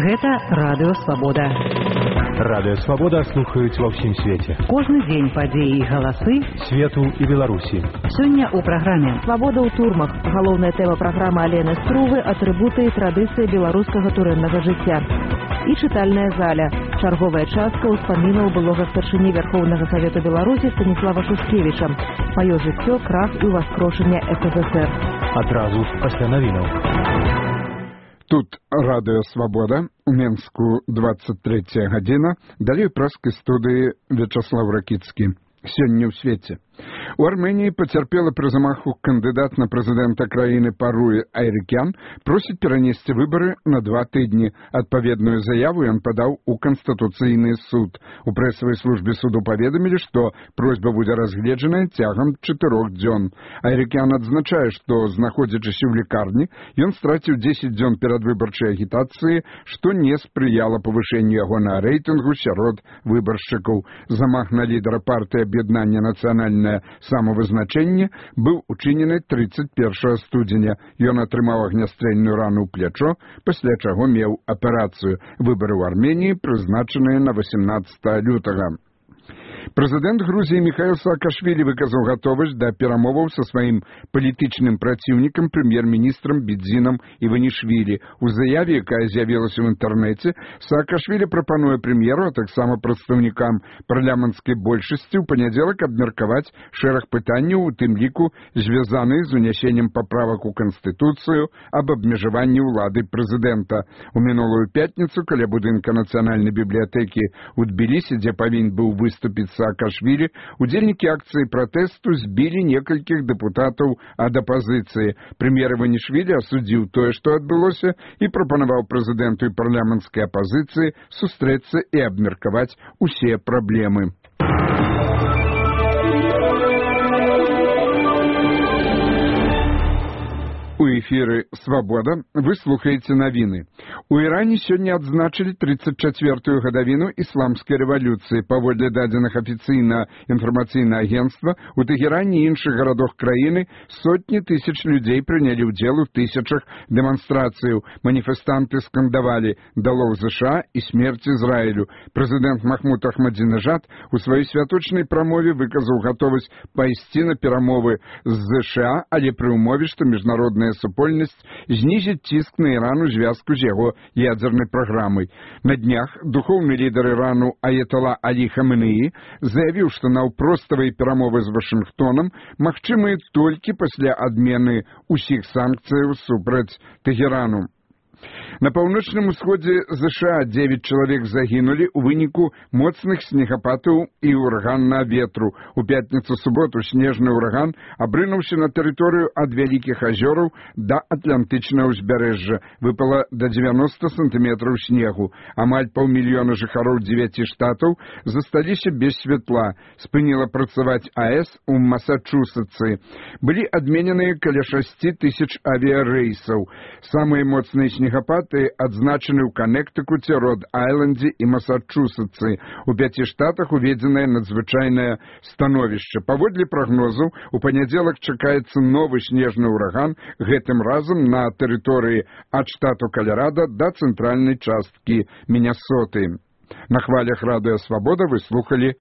Гэта Радыё Свабода. Радыё Свабода слухаюць ва ўсім свеце. Кожны дзень падзеі і галасы свету і Беларусі. Сёння ў праграме «Свабода ў турмах». Галоўная тэма праграмы Алены Струвы – атрыбуты і традыцыі беларускага турэмнага жыцця. І чытальная заля. Чарговая частка ўспамінаў былога старшыні Верхоўнага Савету Беларусі Станіслава Шушкевіча. Маё жыццё, крах і ўваскрошэнне СССР. Адразу пасля навінаў. Тут Радыё Свабода, у Менску 23 гадзіна, далей праскай студыі Вячаслав Ракіцкі. Сёння ў свеце. У Армении потерпела при замаху кандидат на президента краины Паруи Айрикян просит перенести выборы на 2 тыдні. Адпаведную заяву он подал у Конституцыйны суд. У прэсавай службе суду паведамілі, што просьба будзе разгледжаная цягам 4 дзён. Айрикян адзначае, што, знаходзячыся ў лікарні, ён страціў 10 дзён перадвыбарчай агітацыі, што не спрыяла павышэнню ягонага рэйтынгу сярод выбаршчыкаў. Замах на лідара партыі аб'яднання нацыянальнае самавызначэнне быў учынены 31 студзеня. Ён атрымаў агнястрэльную рану ў плячо, пасля чаго меў аперацыю. Выбары ў Арменіі прызначаныя на 18 лютага. Прэзідэнт Грузіі Міхаіл Саакашвілі выказаў гатовасць да перамоваў са сваім палітычным праціўнікам прэм'ер-міністрам Бідзінам Іванішвілі. У заяве, якая з'явілася ў інтэрнэце, Саакашвілі прапануе прэм'еру, а таксама прадстаўнікам парламенцкай большасці ў панядзелак абмеркаваць шэраг пытанняў, у тым ліку звязаных з унясеннем паправак у Канстытуцыю аб абмежаванні ўлады прэзідэнта. У мінулую пятніцу каля будынка Нацыянальнай бібліятэкі ў Тбілісі, дзе павінен быў выступіць Саакашвілі, удзельнікі акцыі пратэсту збілі некалькіх дэпутатаў ад апазіцыі. Прэм'ер Іванішвілі асудзіў тое, што адбылося, і прапанаваў прэзідэнту і парламенцкай апазіцыі сустрэцца і абмеркаваць усе праблемы. У эфіры «Свабода» вы слухаеце навіны. У Іране сёння адзначылі 34-ю гадавіну ісламскай рэвалюцыі. Паводле дадзеных афіцыйнага інфармацыйнага агенцтва, у Тэгеране і іншых гарадах краіны сотні тысяч людзей прынялі ўдзел у тысячах дэманстрацыяў. Маніфестанты скандавалі «Долой ЗША» і «Смерць Ізраілю». Прэзідэнт Махмуд Ахмадзінежад у сваёй святочнай прамове выказаў гатовасць пайсці на перамовы з ЗША, але пры ўмове, што міжнародная супольнасць знізіць ціск на Іран у звязку з яго ядзернай праграмай. На днях духоўны лідар Ірану Аятала Алі Хаменеі заявіў, што наўпроставыя перамовы з Вашынгтонам магчымыя толькі пасля адмены ўсіх санкцыяў супраць Тэгерану. На паўночным усходзе ЗША 9 чалавек загінулі ў выніку моцных снегападаў і ураганнага ветру. У пятніцу-суботу снежны ураган абрынуўся на тэрыторыю ад Вялікіх азёраў да Атлантычнага ўзбярэжжа. Выпала да 90 сантыметраў снегу. Амаль 500 000 жыхароў 9 штатаў засталіся без святла. Спыніла працаваць АЭС у Масачусетсы. Былі адмененыя каля 6 тысяч авіярэйсаў. Самыя моцныя снегапады адзначаны ў Канектыкуце, Род-Айлендзе і Масачусетсы. У 5 штатах уведзенае надзвычайнае становішча. Паводле прагнозаў, у панядзелак чакаецца новы снежны ўраган, гэтым разам на тэрыторыі ад штату Каларада да цэнтральнай часткі Мінясоты. На хвалях Радыё Свабода вы слухалі